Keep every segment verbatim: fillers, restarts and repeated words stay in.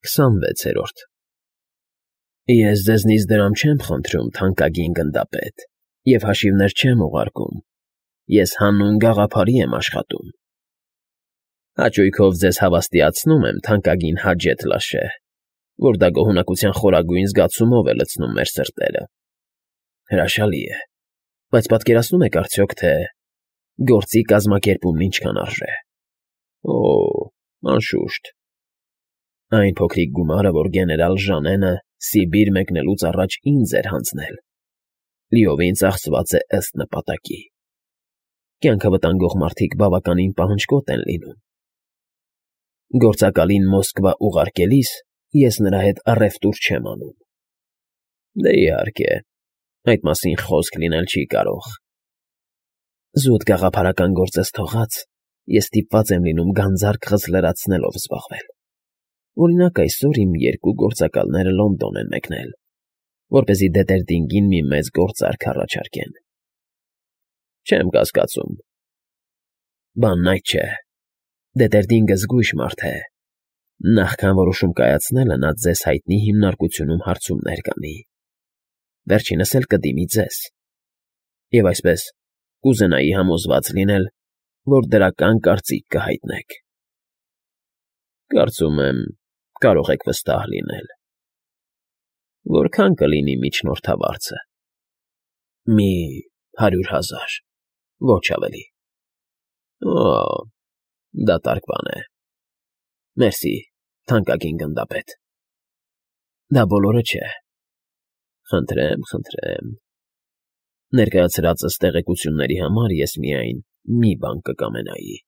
Քսանվեցերորդ Ես ձեզնից դրամ չեմ խնդրում, թանկագին գնդապետ, և հաշիվներ չեմ ուղարկում, ես հանուն գաղափարի եմ աշխատում։ Հաճույքով ձեզ հավաստիացնում եմ, թանկագին Հաջեթ Լաշե, որ դա գոհունակության խորագույն զգացումով է լցնում մեր սրտերը։ Հրաշալի է, բայց պատկերացնո՞ւմ եք արդյոք, թե գործի կազմակերպումն ինչքան արժե։ Օ՜, անշուշտ, այն փոքրիկ գումարը, որ գեներալ Ժանենը Սիբիր մեկնելուց առաջ ինձ էր հանձնել, լիովին ծախսված է ըստ նպատակի։ Կյանքը վտանգող մարդիկ բավականին պահնջկոտ են լինում։ Գործակալին Մոսկվա ուղարկելիս ես նրա հետ առևտուր չեմ անում։ Դե իհարկե, այդ մասին խոսք լինել չի կարող։ Զուտ գաղափարական գործս թողած, ես ստիպված եմ լինում գանձարքս լրացնելով զբաղվել։ Օրինակ, այսօր իմ երկու գործակալները Լոնդոն են մեկնել, որպեսզի Դետերդինգին մի մեծ գործարք առաջարկեն։ Չեմ կասկածում։ Բանն այդ չէ։ Դետերդինգը զգույշ մարդ է։ Նախքան որոշում կայացնելը նա ձեզ հայտնի հիմնարկությունում հարցումներ կանի։ Վերջինս էլ կդիմի ձեզ։ Եվ այսպես կուզենայի համոզված լինել, որ դրական կարծիք կհայտնեք։ Կարծում եմ, կարող եք վստահ լինել։ Որքան կլինի միջնորդավարձը։ Մի հարյուր հազար, ոչ ավելի։ Օ, դատարկ բան է։ Մերսի, թանկագին գնդապետ։ Դա բոլորը չէ։ Խնդրեմ, խնդրեմ։ Ներկայացրածս տեղեկությունների համար ես միայն մի բան կկամենայի։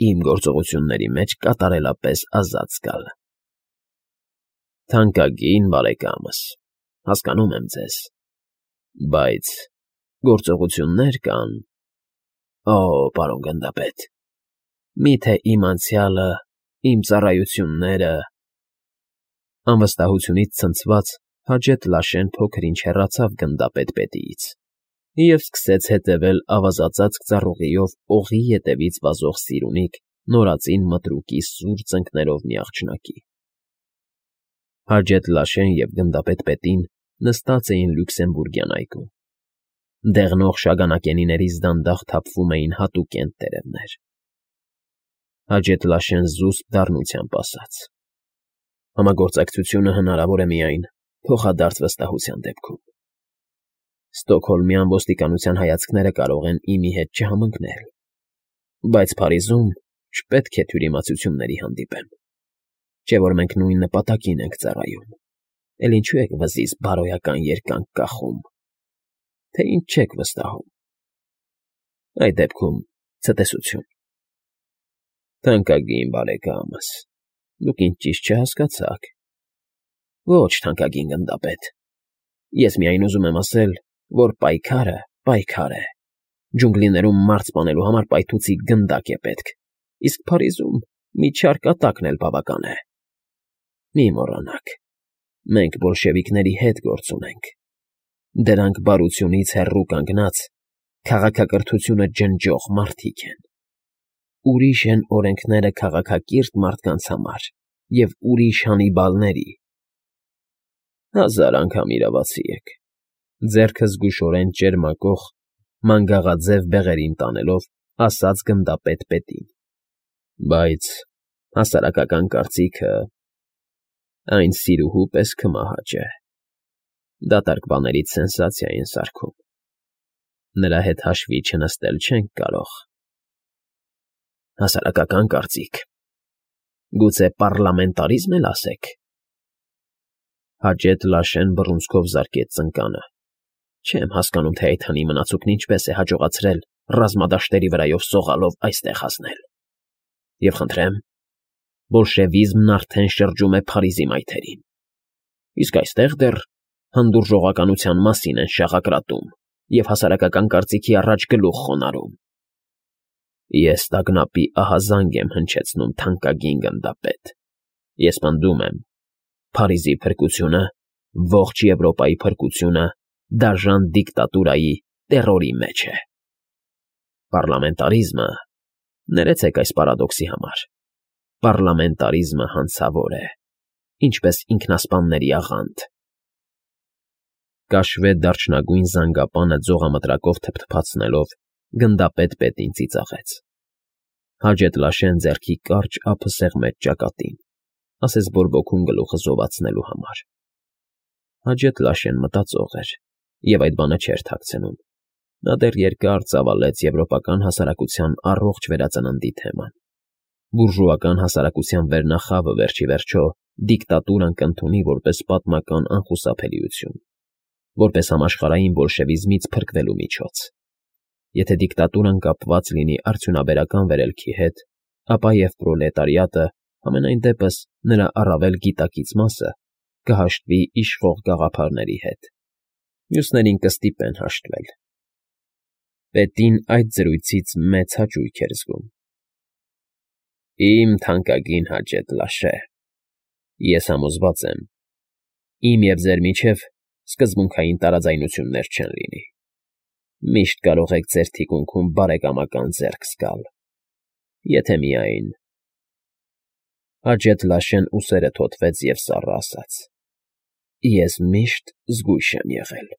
Իմ գործողությունների մեջ կատարելապես ազատ զգալ։ Թանկագին բարեկամս, հասկանում եմ ձեզ, բայց գործողություններ կան։ Օ, պարոն գնդապետ, մի՞թե իմ անցյալը, իմ ծառայությունները… Անվստահությունից ցնցված Հաջեթ Լաշեն փոքր-ինչ հեռացավ գնդապետ֊պետիից և սկսեց հետևել ավազածածկ ծառուղիով օղի ետևից վազող Սիրունիկ նորածին մտրուկի սուր ծնկներով մի աղջնակի։ Հաջեթ Լաշեն և գնդապետ֊պետին նստած էին Լյուքսեմբուրգյան այգում։ Դեղնող շագանակենիներից դանդաղ թափվում էին հատուկենտ տերևներ։ Հաջեթ Լաշեն զուսպ դառնությամբ ասաց. Համագործակցությունը հնարավոր է միայն փոխադարձ վստահության դեպքում։ Ստոկհոլմյան ոստիկանության հայացքները կարող են իմի հետ չհամընկնել, բայց Փարիզում չպետք է թյուրիմացությունների հանդիպեմ, չէ՞ որ մենք նույն նպատակին ենք ծառայում, էլ ինչու եք վզից բարոյական երկանք կախում, թե ինչ չեք վստահում։ Այդ դեպքում ցտեսություն։ Թանկագին բարեկամս, դուք ինձ ճիշտ չհասկացաք։ Ոչ, թանկագին գնդապետ, ես միայն ուզում եմ ասել, որ պայքարը պայքար է։ Ջունգլիներում մարդ սպանելու համար պայթուցիկ գնդակ է պետք, իսկ Փարիզում մի չար կատակն էլ բավական է։ Մի մոռանաք, մենք բոլշևիկների հետ գործ ունենք։ Դրանք բարությունից հեռու կանգնած, քաղաքակրթությունը ջնջող մարդիկ են։ Ուրիշ են օրենքները քաղաքակիրթ մարդկանց համար և ուրիշ Հանիբալների։ Հազար անգամ իրավացի եք, ձեռքը զգուշորեն ճերմակող, մանգաղաձև բեղերին տանելով, ասաց գնդապետ֊պետին, բայց հասարակական կարծիքը… այն սիրուհու պես քմահաճ է։ Դատարկ բաներից սենսացիա են սարքում։ Նրա հետ հաշվի չնստել չենք կարող։ Հասարակական կարծիք… Գուցե պառլամենտարիզմ էլ ասեք։ Հաջեթ Լաշեն բռունցքով զարկեց ծնկանը։ Չեմ հասկանում, թե այդ հնի մնացուկն ինչպես է հաջողացրել ռազմադաշտերի վրայով սողալով այստեղ հասնել։ Եվ խնդրեմ, բոլշևիզմն արդեն շրջում է Փարիզի մայթերին։ Իսկ այստեղ դեռ հանդուրժողականության մասին են շաղակրատում և հասարակական կարծիքի առաջ գլուխ խոնարհում։ Ես տագնապի ահազանգ եմ հնչեցնում, թանկագին գնդապետ։ Ես պնդում եմ. Փարիզի փրկությունը, ողջ Եվրոպայի փրկությունը դաժան դիկտատուրայի, տեռորի մեջ է։ Պառլամենտարիզմը… Ներեցեք այս պարադոքսի համար, պառլամենտարիզմը հանցավոր է։ ինչպես ինքնասպանների աղանդ։ Կաշվե դարչնագույն զանգապանը ձողամտրակով թփթփացնելով գնդապետ պետին ծիծաղեց։ Հաջեթլաշեն ձեռքի կարճ ափը սեղմեց ճակատին, ասես բորբոքում գլուխը զովացնելու համար։ Հաջեթլաշեն մտածող էր, և այդ բանը չէր թաքցնում։ Նա դեռ երկար ծավալեց եվրոպական հասարակության առողջ վերածննդի թեման։ Բուրժուական հասարակության վերնախավը վերջ ի վերջո դիկտատուրան կընդունի որպես պատմական անխուսափելիություն, որպես համաշխարհային բոլշևիզմից փրկվելու միջոց։ Եթե դիկտատուրան կապված լինի արդյունաբերական վերելքի հետ, ապա և պրոլետարիատը, համենայն դեպս նրա առավել գիտակից մասը, կհաշտվի իշխող գաղափարների հետ։ Մյուսներին կստիպեն հաշտվել։ Պետին այդ զրույցից մեծ հաճույք էր զգում։ Իմ թանկագին Հաջեթլաշե, ես համոզված եմ, իմ և ձեր միջև սկզբունքային տարաձայնություններ չեն լինի։ Միշտ կարող եք ձեր թիկունքում բարեկամական ձեռք զգալ, եթե միայն… Հաջեթլաշեն ուսերը թոթվեց և սառը ասաց. Ես միշտ զգույշ եմ եղել։